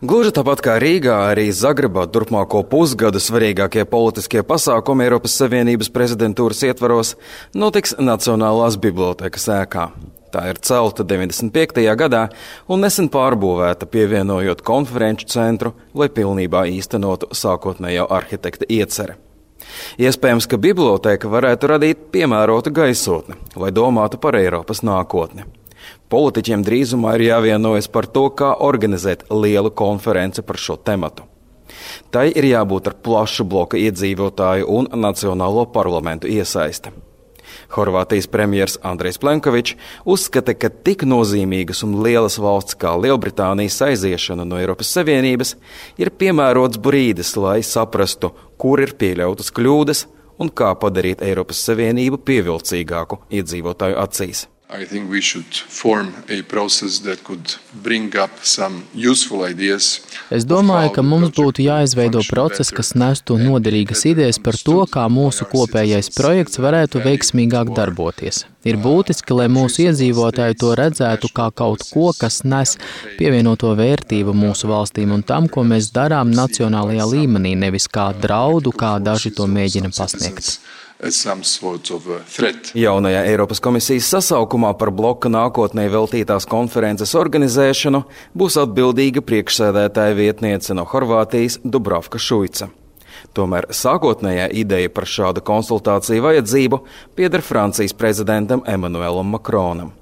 Gluži tāpat kā Rīgā, arī Zagrebā turpmāko pusgadu svarīgākie politiskie pasākumi Eiropas Savienības prezidentūras ietvaros notiks Nacionālās bibliotēkas ēkā. Tā ir celta 95. gadā un nesen pārbūvēta, pievienojot konferenču centru, lai pilnībā īstenotu sākotnējo arhitekta ieceri. Iespējams, ka bibliotēka varētu radīt piemērotu gaisotni, lai domātu par Eiropas nākotni. Politiķiem drīzumā ir jāvienojas par to, kā organizēt lielu konferenci par šo tematu. Tai ir jābūt ar plašu bloka iedzīvotāju un Nacionālo parlamentu iesaisti. Horvātijas premjers Andrejs Plenkovičs uzskata, ka tik nozīmīgas un lielas valsts kā Lielbritānijas aiziešana no Eiropas Savienības ir piemērots brīdis, lai saprastu, kur ir pieļautas kļūdas un kā padarīt Eiropas Savienību pievilcīgāku iedzīvotāju acīs. I think we should form a process that could bring up some useful ideas. Es domāju, ka mums būtu jāizveido process, kas nestu noderīgas idejas par to, kā mūsu kopējais projekts varētu veiksmīgāk darboties. Ir būtiski, lai mūsu iedzīvotāji to redzētu kā kaut ko, kas nes pievienoto vērtību mūsu valstīm un tam, ko mēs darām nacionālajā līmenī, nevis kā draudu, kā daži to mēģina pasniegt. Jaunajā Eiropas komisijas sasaukumā par bloka nākotnē veltītās konferences organizēšanu būs atbildīga priekšsēdētāja vietniece no Horvātijas Dubravka Šuica. Tomēr sākotnējā ideja par šādu konsultāciju vajadzību pieder Francijas prezidentam Emmanuelam Macronam.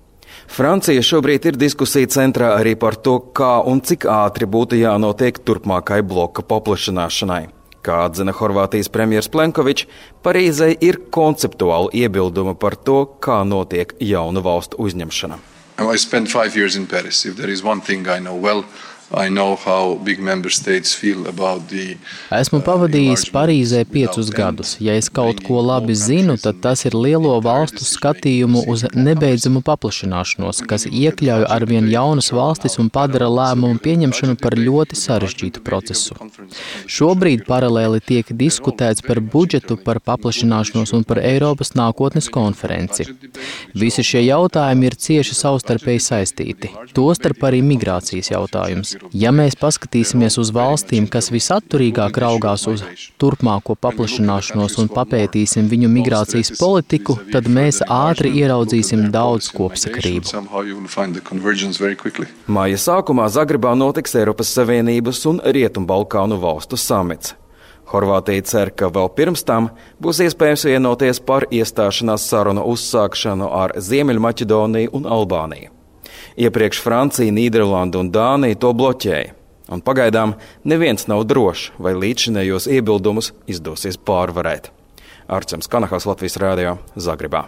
Francija šobrīd ir diskusija centrā arī par to, kā un cik ātri būtu jānotiek turpmākai bloka paplašināšanai. Kā atzina Horvātijas premjers Plenkovičs, Parīzei ir konceptuāli iebildumi par to, kā notiek jaunu valstu uzņemšana. I spent 5 years in Paris. If there is one thing I know well, I know how big member states feel about the Esmu pavadījis Parīzē 5 gadus. Ja es kaut ko labi zinu, tad tas ir lielo valstu skatījumu uz nebeidzamu paplašināšanos, kas iekļauj arvien jaunas valstis un padara lēmumu pieņemšanu par ļoti sarežģītu procesu. Šobrīd paralēli tiek diskutēts par budžetu, par paplašināšanos un par Eiropas nākotnes konferenci. Visi šie jautājumi ir cieši savstarpēji saistīti, tostarp arī migrācijas jautājums. Ja mēs paskatīsimies uz valstīm, kas visatturīgāk raugās uz turpmāko paplašināšanos un papētīsim viņu migrācijas politiku, tad mēs ātri ieraudzīsim daudz kopsakarību. Māja sākumā Zagrebā notiks Eiropas Savienības un Rietumbalkānu valstu samits. Horvātija cer, ka vēl pirms tam būs iespējams vienoties par iestāšanās sarunu uzsākšanu ar Ziemeļmaķedoniju un Albāniju. Iepriekš Francija, Nīderlanda un Dānija to bloķēja, un pagaidām neviens nav drošs, vai līdzšinējos iebildumus izdosies pārvarēt. Arčams Kanahals, Latvijas Rādio, Zagrebā.